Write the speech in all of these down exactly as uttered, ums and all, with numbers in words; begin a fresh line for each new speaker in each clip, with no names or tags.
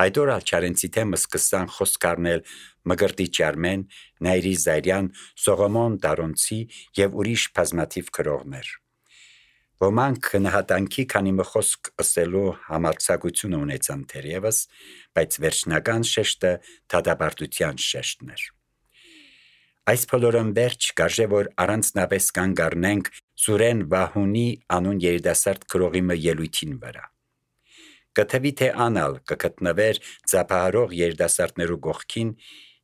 Այդ օր Չարենցի թեմը սկսան խոսք առնել Մկրտիչ Արմեն, Նայիրի Զայրյան, Սողոմոն Դարոնցի և ուրիշ բազմաթիվ գրողներ։ Ոմանք նահատանքի քանի մը խոսք ըսելու համարձակություն ունեցան թերևս, բայց վերջնական շեշտը դատապարտության շեշտն էր։ Այս բոլորն վերջ կարժե որ առանձնապես կանգ առնենք Սուրեն Վահունի անուն երիտասարդ գրողի մը ելույթին վրա։ Կթվի թե անալ կգտնվեր ծափահարող երիտասարդներու գողքին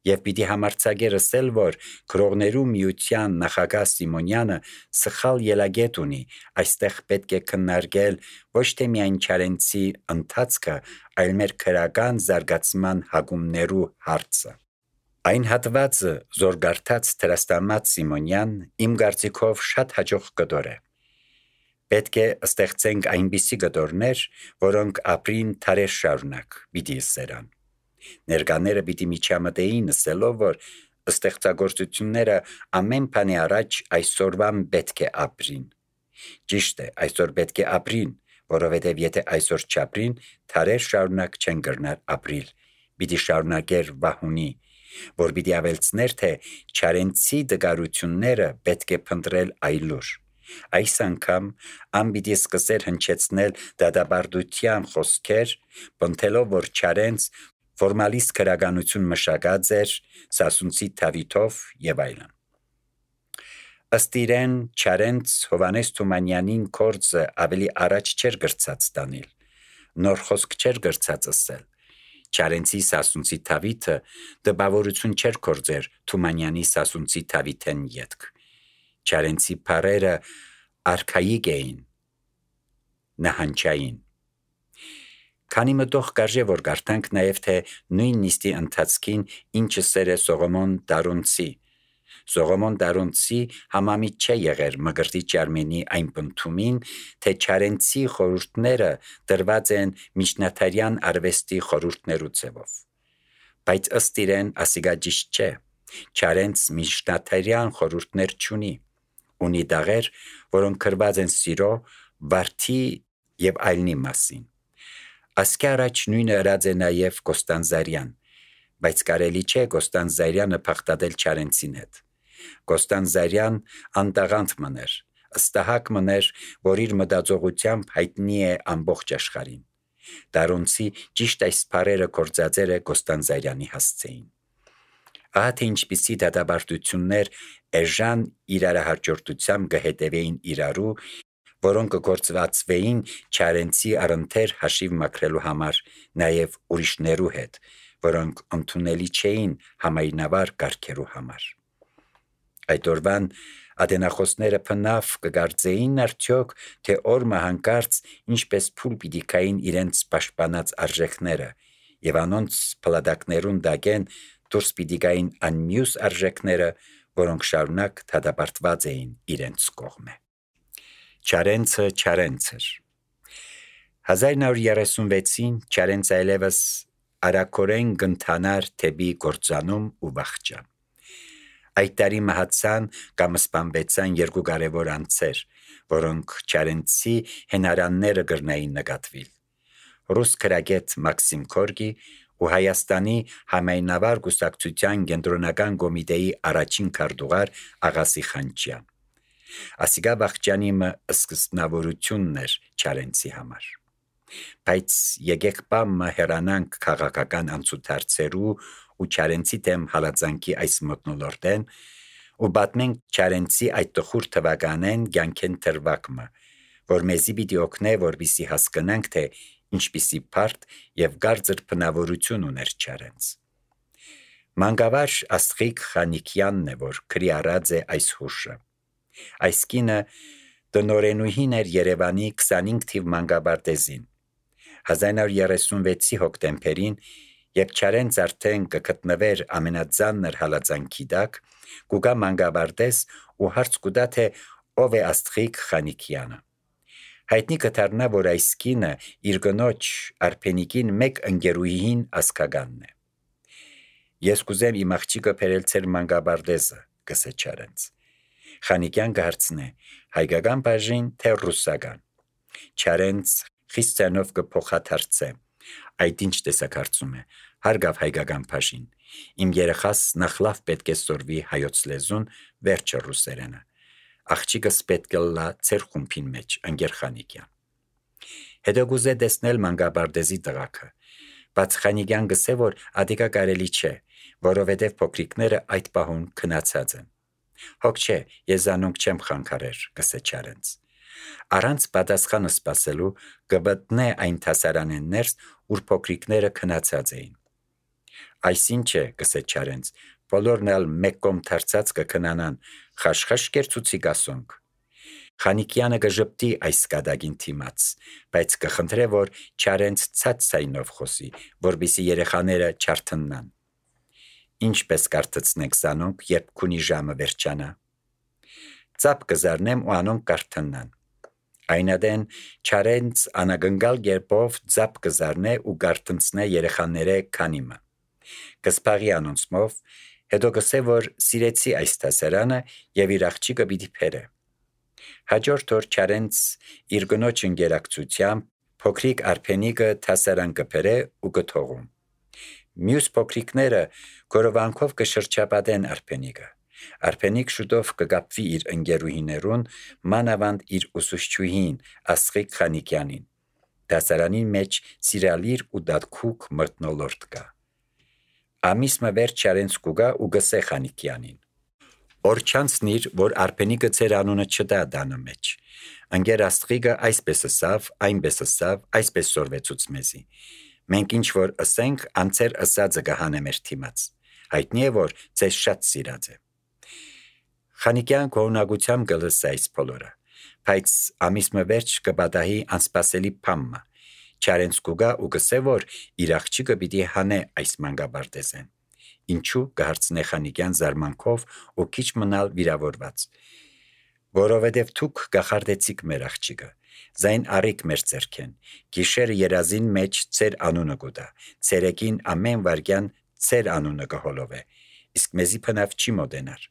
և պիտի համարձակեր ըսել, որ գրողներու միության նախագահ Սիմոնյանը սխալ ելագետ ունի, այստեղ պետք է քննարկել ոչ թե միայն Չարենցի ընթացքը, այլ մեր քրական զարգացման հակումներու հարցը։ Այն հատվածը զորգարթած Թրաստամատ Սիմոնյան իմ կարծիքով շատ հաջող կտոր է։ Պետք է ստեղծենք այնպիսի կտորներ, որոնք ապրին թարեր շարունակ, պիտի սերան։ Ներկաները պիտի միջամտեին ասելով, որ ստեղծագործությունները ամեն բանի առաջ այսօրվան պետք է ապրին։ Ճիշտ է, այսօր պետք է ապրին, որովհետև եթե այսօր չապրին, թարեր շարունակ չեն կրնար ապրիլ։ Պիտի շարունակեր Վահունի, որ պիտի ավելցներ, թե Չարենցի դգարությունները պետք է փնտրել այլուր։ Այս անգամ ան պիտի սկսեր հնչեցնել դատապարտության խոսքեր, պնդելով, որ Չարենց ֆորմալիստ քրականություն մշակած էր Սասունցի Դավիթով եւ այլն։ Ըստ իրեն Չարենց Հովանես Թումանյանին կորձը ավելի առաջ չէր գրծած տանել, նոր խոսք չէր գրծած ասել։ Չարենցի Սասունցի Դավիթը դպավորություն չէր կործեր Թումանյանի Սասունցի Դավիթեն ետք։ Չարենցի բառերը արքայիկ էին, նահանջային։ Քանի մտող կարժե որ գարտանք նաև թե նույն նիստի ընթացքին ինչը սեր է Սողոմոն Դարոնցի։ Սողոմոն Դարոնցի համամիտ չէ եղեր Մկրտիչ Արմենի այն պնդումին, թե Չարենցի խորհուրդները դրված են միջնադարյան արվեստի խորհուրդներու ձևով։ Բայց ըստ իրեն ասիգա ճիշտ չէ։ Չարենց միջնադարյան խորհուրդներ չունի։ Ունի դաղեր, որոնք գրված են սիրո, վարդի եւ այլնի մասին։ Ասկի առաջ նույնը ըրած է նաև Կոստանդզարյան, բայց կարելի չէ Կոստանդզարյանը փախտadel Չարենցին հետ։ Կոստանդզարյան անտաղանդ մներ, ըստահակ մներ, որ իր մտածողությամբ հայտնի է ամբողջ աշխարհին։ Դարոնցի ճիշտ այս բառերը կործածերը Կոստանդզարյանի հասցեին։ Ահա թե ինչպիսի դատապարտություններ էժան իրարահաջորդությամբ կհետևեին իրարու, որոնք կգործվածվեին Չարենցի առընթեր հաշիվ մաքրելու համար նաև ուրիշներու հետ, որոնք ընդունելի չէին համայնավար կարգերու համար։ Այդ օրվան ադենախոսները փնավ կգարձեին արդյոք, թե օրմը հանկարծ ինչպես փուլ պիտի կային իրենց պաշտպանած արժեքները եւ անոնց փլադակներուն դակեն դուրս պիտի գային անմյուս արժեքները, որոնք շարունակ դատապարտված էին իրենց կողմը։ Չարենցը Չարենց էր։ հազար նոր երեսունվեցին Չարենց այլևս արակորեն գնթանար թեպի գործանում ու վախճան։ Այդ տարի մահացան կամ սպանվեցան երկու կարևոր անձեր, որոնք Չարենցի հենարանները գրնային նկատվիլ։ Ռուս քրագետ Մաքսիմ Գորկի ու Հայաստանի համայնավար կուսակցության կենտրոնական կոմիտեի առաջին քարտուղար Աղասի Խանջյան։ Ասիգա վախճանի մը սկզբնավորությունն էր Չարենցի համար։ Բայց եկեք բամը հերանանք քաղաքական անցուդարձերու ու Չարենցի դեմ հալածանքի այս մթնոլորտեն ու պատմենք Չարենցի այդ տխուր թվականեն կյանքեն թրվակմը, որ մեզի պիտի օգնե, որպեսզի հասկանանք, թե ինչպիսի բարդ եւ գարձր բնավորություն ուներ Չարենց։ Մանկավար Աստղիկ Խանիկյանն է, որ քրի առած է այս հուշը։ Այս կինը տնօրենուհին էր Երևանի քսանինք թիվ մանկաբարտեզին։ հազար նոր երեսունվեցի հոկտեմբերին, երբ Չարենց արդեն կգտնվեր ամենածանր հալածանքի տակ, կուգա մանկաբարտեզ ու հարց կուտա, թե ով է Աստղիկ Խանիկյանը։ Հայտնի կդառնա, որ այս կինը իր կնոջ Արփենիկին մեկ ընկերուհին ասկագանն է։ Ես կուզեմ իմ աղջիկը բերել ձեր մանկաբարտեզը, գսե Չարենց։ Խանիկյան կհարցնե, հայկական բաժին թե ռուսական։ Չարենց խիստ ցանով կփոխադարձե, Այդ ինչ տեսակարծում է, հարգավ հայկական բաժին, իմ երեխաս նախ լավ պետք է սորվի հայոց լեզուն, վերջը ռուսերենը, աղջիկս պետք է լա ծեր խումբին մեջ, ընկեր Խանիկյան։ Հետո գուզե տեսնել Մանգաբարդեզի տղաքը, բայց Խանիկյան գսե, որ ադիկա կարելի չէ, որովհետև փոքրիկները այդ պահուն քնացած են։ Հոգ չէ, ես զանոնք չեմ խանգարեր, գսե Չարենց։ Առանց պատասխանը սպասելու գբտնե այն թասարանեն ներս, ուր փոքրիկները քնացած էին։ Այսինչ է, գսե Չարենց, բոլորն ալ մեկ կողմ թարցած կքնանան, խաշխաշ կերծուցի գասոնք։ Խանիկյանը գժպտի այս կադագին թիմաց, բայց կխնդրե, որ Չարենց ցած ցայնով խոսի, որբիսի երեխաները չարթնան։ Ինչպես կարծեցնեք զանոնք, երբ քունի ժամը վերջանա։ Ծապ կզարնեմ ու անոնք կարթնան։ Այնադեն Չարենց անագնգալ գերբով ծապ կզարնե ու գարտնցնե երեխաները քանիմը։ Կսպաղի անոնցմով, հետո գսե, որ սիրեցի այս տասարանը և իր աղջիկը պիտի փերը։ Հաջորդ օր Չարենց իր գնոջ ընկերակցությամբ փոքրիկ Արփենիկը տասարան կփերե ու կթողում։ Մյուս փոքրիկները գորովանքով կշրջապատեն Արփենիկը։ Արփենիկ շուտով կգապվի իր ընկերուհիներուն, մանավանդ իր ուսուցչուհին Աստղիկ Խանիկյանին։ Տասարանի մեջ սիրալիր ու դատքուկ մթնոլորտ կա։ Ամիսը վերջ Չարենց կուգա ու գսե Խանիկյանին։ Օր չանցնիր, որ Արփենիկը ծեր անունը չտա դանը մեջ։ Ընկեր Աստղիկը այսպես ասավ, այնպես ասավ, այսպես սորվեցուց մեզի։ Մենք ինչ որ ասենք, անցեր ասածը կհանե մեր թիմաց։ Հայտնի է, որ ձեզ շատ սիրած է։ Խանիկյան կողնակությամբ գլսե այս բոլորը, բայց ամիսը վերջ կպատահի անսպասելի փամը։ Չարենց կուգա ու գսե, որ իր աղջիկը պիտի հանե այս Մանգաբարդեզեն։ Ինչու կհարցնե Խանիկյան զարմանքով ու քիչ մնալ վիրավորված։ Որովհետև դուք գախարդեցիք մեր աղջիկը, զայն առիք մեր ձեռքեն, գիշերը երազին մեջ ծեր անունը գուտա, ցերեկին ամեն վարգյան ծեր անունը կհոլովե, իսկ մեզի փնավ չի մոտենար։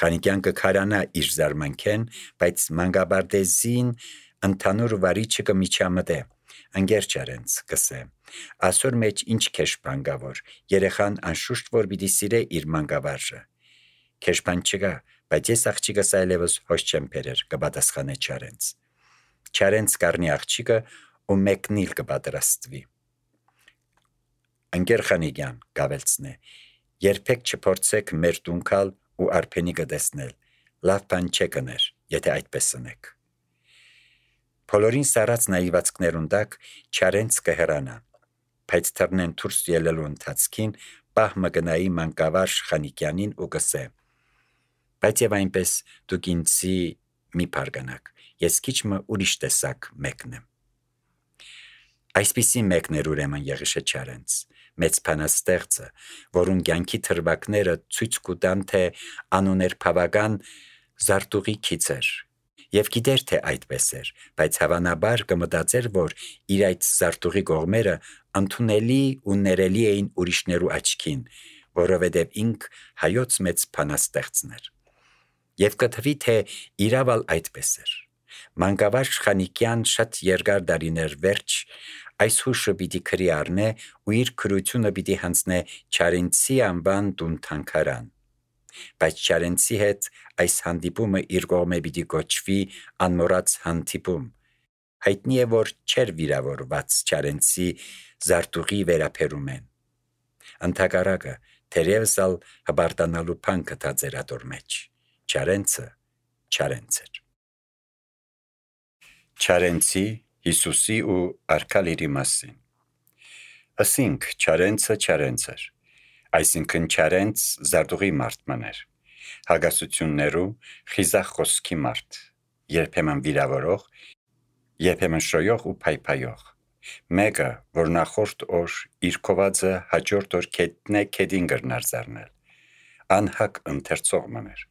Խանիկյան կքարանա իր զարմանքեն, բայց Մանգաբարդեզին ընդհանուր վարիչը կմիջամտե։ Ընկեր Չարենց, կսե, ասոր մեջ ինչ քեշբան կա, որ երեխան անշուշտ որ պիտի սիրե իր մանկավարժը։ Քեշբան չկա, բայց ես աղջիկս այլևս հոչ չեմ բերեր, կպատասխանե Չարենց։ Չարենց կառնի աղջիկը ու մեկնիլ կպատրաստվի։ Ընկեր Խանիկյան, գավելցնե, երբեք չփորձեք մեր տունքալ ու Արփենիկը տեսնել, լավ բան չէ կներ, եթե այդպես ընեք։ Բոլորին սարած նայվածքներուն տակ Չարենց կհեռանա, բայց թռնեն դուրս ելելու ընթացքին պահ մգնայի մանկավարժ Խանիկյանին ու կսե. բայց եւ այնպես դուք ինձի մի բարգանակ, ես քիչմը ուրիշ տեսակ մեկն եմ։ Այսպիսի մեկն էր ուրեմն Եղիշե Չարենց, մեծ փանաստեղծը, որուն կյանքի թրվակները ցույց կտան, թե անուներ բավական զարտուղի քիչ էր։ Եվ գիտեր, թե այդպես էր, բայց հավանաբար կմտածեր, որ իր այդ զարտուղի կողմերը ընդունելի ու ներելի էին ուրիշներու աչքին, որովհետև ինք հայոց մեծ փանաստեղծն էր։ Եվ կթվի, թե իրավալ այդպես էր։ Մանկավարժ Խանիկյան շատ երկար դարիներ վերջ այս հուշը պիտի քրի առնե ու իր քրությունը պիտի հանձնե Չարենցի անվան տուն թանգարան։ Բայց Չարենցի հետ այս հանդիպումը իր կողմէ պիտի կոչվի անմոռաց հանդիպում։ Հայտնի է, որ չէր վիրավորված Չարենցի զարտուղի վերապերումեն։ Ընդհակառակը, թերևս ալ հբարտանալու բան գտած էր ատոր մեջ։ Չարենցը Չարենց էր։ Չարենցի, Հիսուսի ու Արքալիրի մասին։ Ասինք Չարենցը Չարենց էր, այսինքն Չարենց զարտուղի մարդման էր, հագասություններու խիզախ խոսքի մարդ, երբեմն վիրավորող, երբեմն շոյող ու փայփայող։ Մեկը, որ նախորդ օր իր կովածը հաջորդ օր քետնե քեդին գրնար զարնել, անհակ ընթերցող մներ։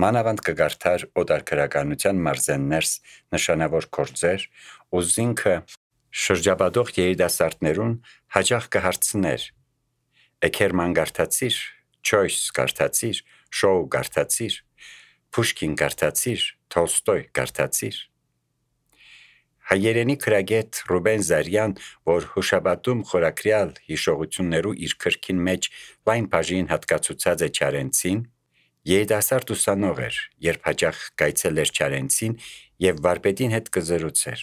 Մանավանդ կգարթար օտարքրականության մարզեններս նշանավոր գործեր ու զինքը շրջապատող երիտասարդներուն հաճախ կհարցներ. Էքերման գարթացիր, Չոյս գարթացիր, Շոու գարթացիր, Փուշկին գարթացիր, Թոլստոյ գարթացիր։ Հայերենի քրագետ Ռուբեն Զարյան, որ հուշաբատում խորակրյալ հիշողություններու իր քրքին մեջ լայն բաժին հատկացուցած է Չարենցին, երիտասարդ ուսանող էր, երբ հաճախ գայցել էր Չարենցին եւ վարպետին հետ կզրուցեր։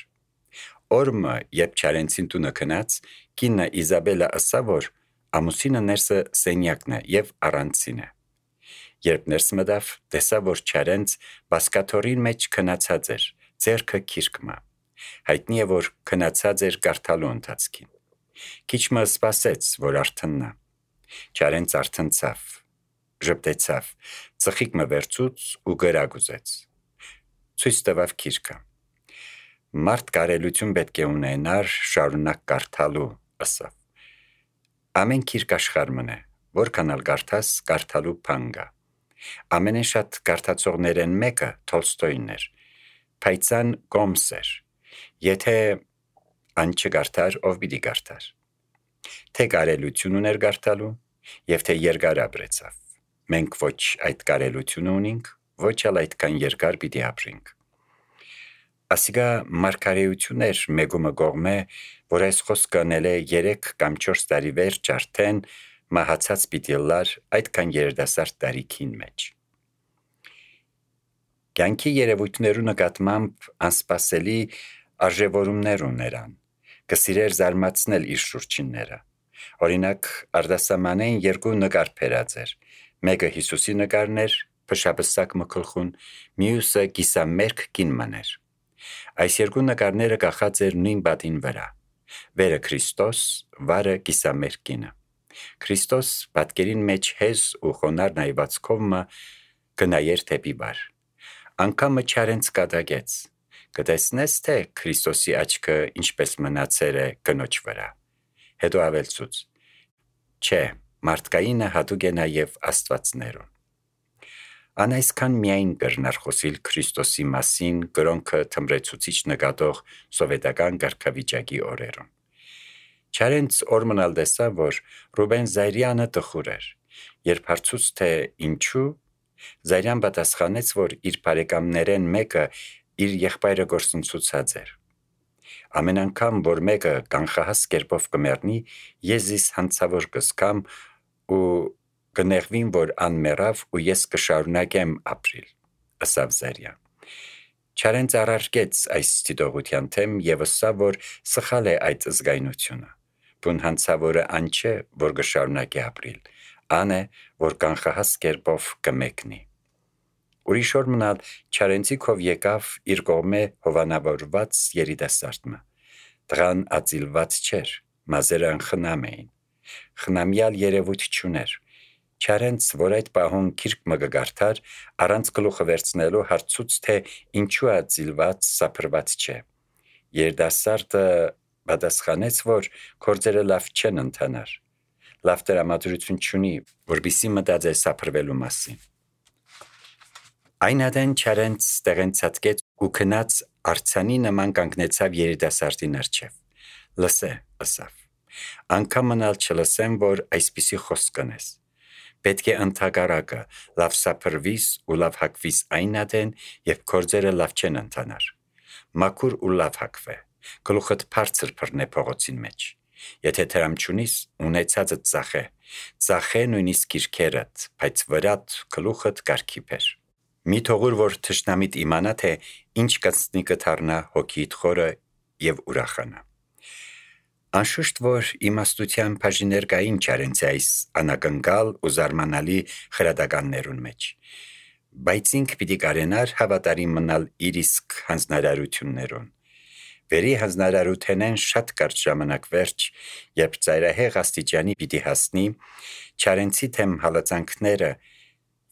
Օրմը, երբ Չարենցին տունը քնած, կինը Իզաբելը ըսա, որ ամուսինը ներսը սենյակն է եւ առանցին է։ Երբ ներս մտավ, տեսա, որ Չարենց բասկաթորին մեջ քնացած էր, ձեռքը քիրկմա։ Հայտնի է, որ քնացած էր կարդալու ընթացքին։ Քիչ մը սպասեց, որ արթննա։ Չարենց արթնցավ, ժպտեցավ, ծխիկ մը վերցուց ու գրագուզեց։ Ցույց տվավ քիրկը։ Մարդ կարելություն պետք է ունենար շարունակ կարդալու, ըսավ։ Ամեն քիրք աշխարհ մնե, որքան ալ կարդաս, կարդալու փանգա։ Ամենեն շատ կարդացողներեն մեկը Թոլստոյն էր, փայծան կոմս էր։ Եթե ան չկարդար, ով պիտի կարդար։ Թե կարելություն ուներ կարդալու, եւ թե երկար ապրեցավ։ Մենք ոչ այդ կարելությունը ունենք, ոչ ալ այդքան երկար պիտի ապրենք։ Ասիգա մարգարեություն էր մեգումը գողմե, որ այս խոսքը անել է երեք կամ չորս տարի վերջ արդեն մահացած պիտի լար այդքան երդասարդ տարիքին մեջ։ Կյանքի երևույթներու նկատմամբ անսպասելի արժևորումներ ուներան, կսիրեր զարմացնել իր շուրջինները։ Օրինակ, արդասամանեն երկու նկար փերած էր, մեկը Հիսուսի նկարն էր, փշապսակ մկլխուն, մյուսը կիսամերկ կինման էր։ Այս երկու նկարները կախած էր նույն բատին վրա, վերը Քրիստոս, վարը կիսամերկ կինը։ Քրիստոս պատկերին մեջ հեզ ու խոնար նայվածքով մը գնայեր թեպի վար։ Անկամը Չարենց կատակեց, կտեսնես, թե Քրիստոսի աչքը ինչպես մնացել է կնոջ վրա։ Հետո ավելցուց. չէ, մարդկայինը հատուկ է նաև աստվածներուն։ Ան այսքան միայն կրնար խոսիլ Քրիստոսի մասին կրոնքը թմրեցուցիչ նկատող սովետական կարգավիճակի օրերուն։ Չարենց օրմնալ տեսա, որ Ռուբեն Զարյանը տխուր էր, երբ հարցուց թե ինչու, Զարյան պատասխանեց, որ իր բարեկամներեն մեկը իր եղբայրը գործընծուցած էր։ Ամեն անգամ, որ մեկը կանխահաս կերպով կմեռնի, ես զիս հանցավոր կզգամ ու կնեղվին, որ ան մեռավ ու ես կշարունակեմ ապրիլ, ըսավ Զարյան։ Չարենց առարկեց այս ստիդողության թեմ եւ ըսա, որ սխալ է այդ զգայնությունը։ Բուն հանցավորը ան չէ, որ կշարունակի ապրիլ, ան է, որ կանխահաս կերպով կմեկնի։ Ուրիշ օր մնալ Չարենցի քով եկավ իր կողմե հովանավորված երիտասարդը։ Տղան ածիլված չէր, մազերը անխնամ էին։ Խնամյալ երևույթ չուներ։ Չարենց, որ այդ պահուն քիրք մը գարթար, առանց գլուխը վերցնելու հարցուց, թե ինչու ածիլված, սափրված չէ։ Երիտասարդը պատասխանեց, որ գործերը լավ չեն ընթանար։ Լավ տրամադրություն չունի, որպեսզի մտածե սափրվելու մասին։ Այն ադեն Չարենց տեղենցածկեց ու քնած արցանի նման կանգնեցավ երիտասարդի առջև։ Լսե, ըսավ։ Անկամ մնալ չլսեմ, որ այսպիսի խոսք կնես։ Պետք է ընդհակառակը լավ սափրվիս ու լավ հակվիս այն ադեն, երբ գործերը լավ չեն ընթանար։ Մաքուր ու լավ հակվե, գլուխդ բարձր բռնե փողոցին մեջ։ Եթե դրամ չունիս, ունեցածդ ծախե, ծախե նույնիսկ քիրքերդ, բայց վրատ գլուխդ կարգի բեր։ Մի թողուր, որ թշնամիտ իմանա, թե ինչ կծնի կթառնա հոգիդ խորը եւ ուրախանա։ Անշուշտ, որ իմաստության բաժիներ կային Չարենցի այս անակնկալ ու զարմանալի խրադականներուն մեջ, բայց ինք պիտի կարենար հավատարիմ մնալ իր իսկ հանձնարարություններուն։ Վերի հանձնարարութենեն շատ կարճ ժամանակ վերջ, երբ ծայրահեղ աստիճանի պիտի հասնի, Չարենցի թեմ հալածանքները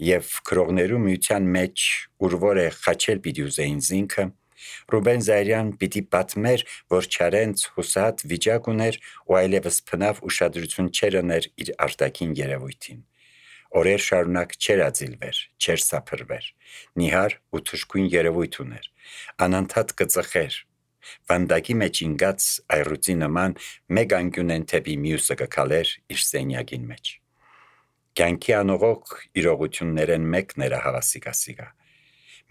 եւ քրողներու միության մեջ ուրվոր է խաչել պիտի ուզեին զինքը, Ռուբեն Զարյան պիտի պատմեր, որ Չարենց հուսահատ վիճակ ուներ ու այլևս փնավ ուշադրություն չեր ուներ իր արտաքին երևույթին։ Օրեր շարունակ չեր ածիլվեր, չեր սափրվեր, նիհար ու թշկույն երևույթ ուներ, անընդհատ կծխեր։ Վանդակի մեջ ինգած այռուցի նման մեկ անկյունեն թեպի մյուսը կքալեր իր սենյակին մեջ։ Կյանքի անողոք իրողություններեն մեկն էր հավասիկասիկա։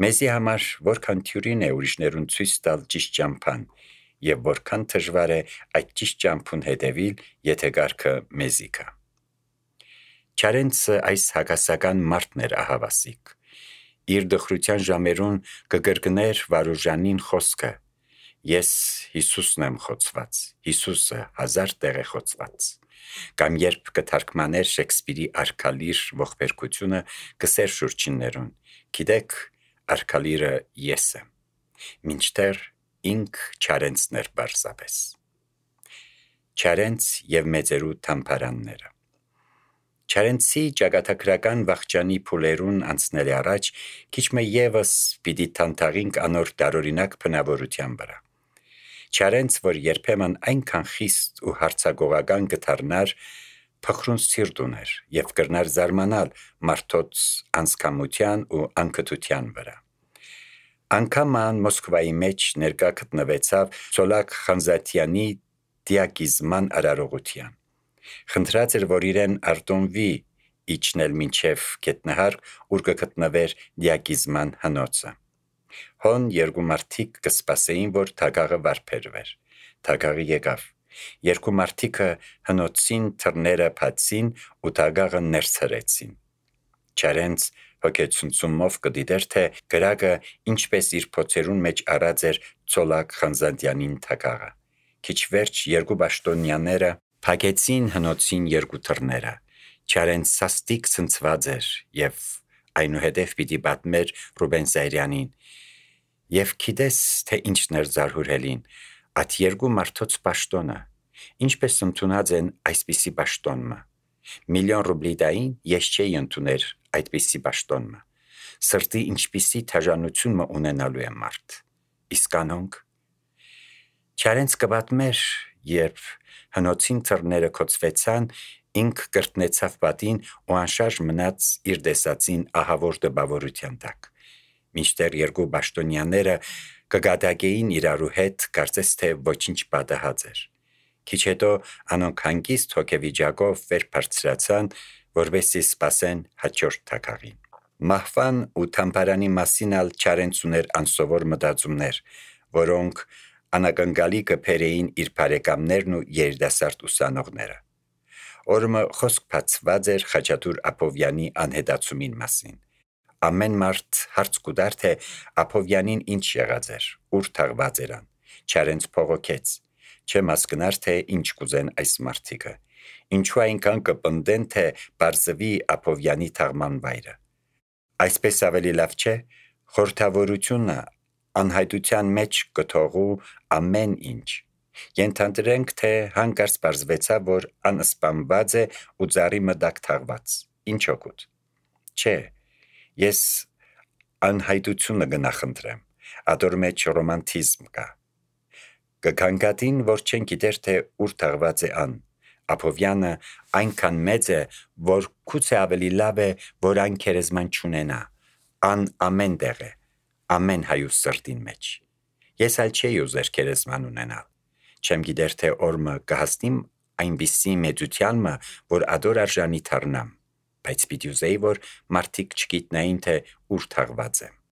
Մեզի համար որքան թյուրին է ուրիշներուն ցույց տալ ճիշտ ճամփան եւ որքան դժվար է այդ ճիշտ ճամփուն հետևիլ, եթե գարքը մեզի կա։ Չարենցը այս հակասական մարդն էր ահավասիկ։ Իր դխրության ժամերուն կգրգներ Վարուժանին խոսքը. «Ես Հիսուսն եմ խոցված, Հիսուսը հազար տեղ է խոցված»։ Կամ երբ կթարգմաներ Շեքսպիրի Արքալիր ողբերգությունը կսեր շուրջիններուն. «Գիտեք, Արքալիրը ես եմ», մինչդեռ ինք Չարենցն էր բարձապես։ Չարենց եւ մեծերու թամփարանները։ Չարենցի ճակատագրական վախճանի փուլերուն անցնելի առաջ քիչ մը եւս պիտի թանթաղինք անոր դարօրինակ բնավորության վրա։ Չարենց, որ երբեմն այնքան խիստ ու հարցագողական կդառնար, փխրուն սիրտ ուներ եւ կրնար զարմանալ մարդոց անսքամության ու անկթության վրա։ Անգամ ան Մոսկվայի մեջ ներկա գտնվեցավ Ցոլակ Խանզատյանի դիագիզման արարողության։ Խնդրած էր, որ իրեն արտոնվի իջնել մինչև գետնահարկ, ուր կգտնվեր դիագիզման հնոցը։ Հոն երկու մարդիկ կսպասեին, որ թագաղը վարբերվեր։ Թագաղը եկավ։ Երկու մարդիկը հնոցին թռները բացին ու թագաղը ներս հրեցին։ Չարենց հոգեցունցումով կդիտեր, թե գրակը ինչպես իր փոցերուն մեջ առած էր Ցոլակ Խանզատյանին թագաղը։ Քիչ վերջ երկու պաշտոնյաները փակեցին հնոցին երկու թռները։ Չարենց սաստիկ ցնցված էր եւ այնուհետև պիտի պատմեր Ռուբեն Զայրյանին. «Եվ գիտես, թե ինչն էր զարհուրելին, այդ երկու մարդոց պաշտոնը, ինչպես ընդունած են այսպիսի պաշտոնը։ Միլիոն ռուբլի տային ես չէի ընդուներ այդպիսի պաշտոնը։ Սրտի ինչպիսի թաժանություն մը ունենալու է մարդ։ Իսկ անոնք»։ Չարենց կպատմեր, երբ հնոցին թռները կոծվեցան, ինք կրտնեցավ պատին ու անշարժ մնաց իր տեսածին ահավոր տպավորության տակ։ Մինչդեռ երկու պաշտոնյաները կգադագեին իրարու հետ, կարծես թե ոչինչ պատահած էր։ Քիչ հետո անոնք հանգիստ հոգեվիճակով վեր բարձրացան, որպեսզի սպասեն հաջորդ թագաղին։ Մահվան ու թամփարանի մասին ալ Չարենց ուներ անսովոր մտածումներ, որոնք անակնկալի կբերեին իր բարեկամներն ու երիտասարդ ուսանողները։ Օրը խոսք բացված էր Խաչատուր Աբովյանի անհետացումին մասին։ Ամեն մարդ հարց կուտար, թե Աբովյանին ինչ եղած էր, ուր թաղված երան։ Չարենց փողոքեց. «Չեմ հասկնար, թե ինչ կուզեն այս մարդիկը։ Ինչու այնքան կպնդեն, թե բարձվի Աբովյանի թաղման վայրը։ Այսպես ավելի լավ չէ, խորհրդավորությունը անհայտության մեջ կթողու ամեն ինչ։ Ենթադրենք, թե հանկարծ բարձվեցավ, որ անսպանված է ու ծառի մտակ թաղված։ Ինչ օգուտ։ Չէ, ես անհայտությունը կնախընտրեմ, ադոր մեջ ռոմանտիզմ կա։ Կգանգատին, որ չեն գիտեր, թե ուր թաղված է ան։ Աբովյանը այնքան մեծ է, որ գուցե ավելի լավ է, որ այն քերեզման չունենա։ Ան ամեն տեղ է, ամեն հայուց սրտին մեջ։ Ես ալ չէի ուզեր քերեզման ունենալ։ Չեմ գիտեր, թե օրը կհասնիմ այնպիսի մեծությանմը, որ ադոր արժանի թառնամ, բայց պիտի ուզեի, որ մարդիկ չգիտնային, թե ուր թաղված եմ։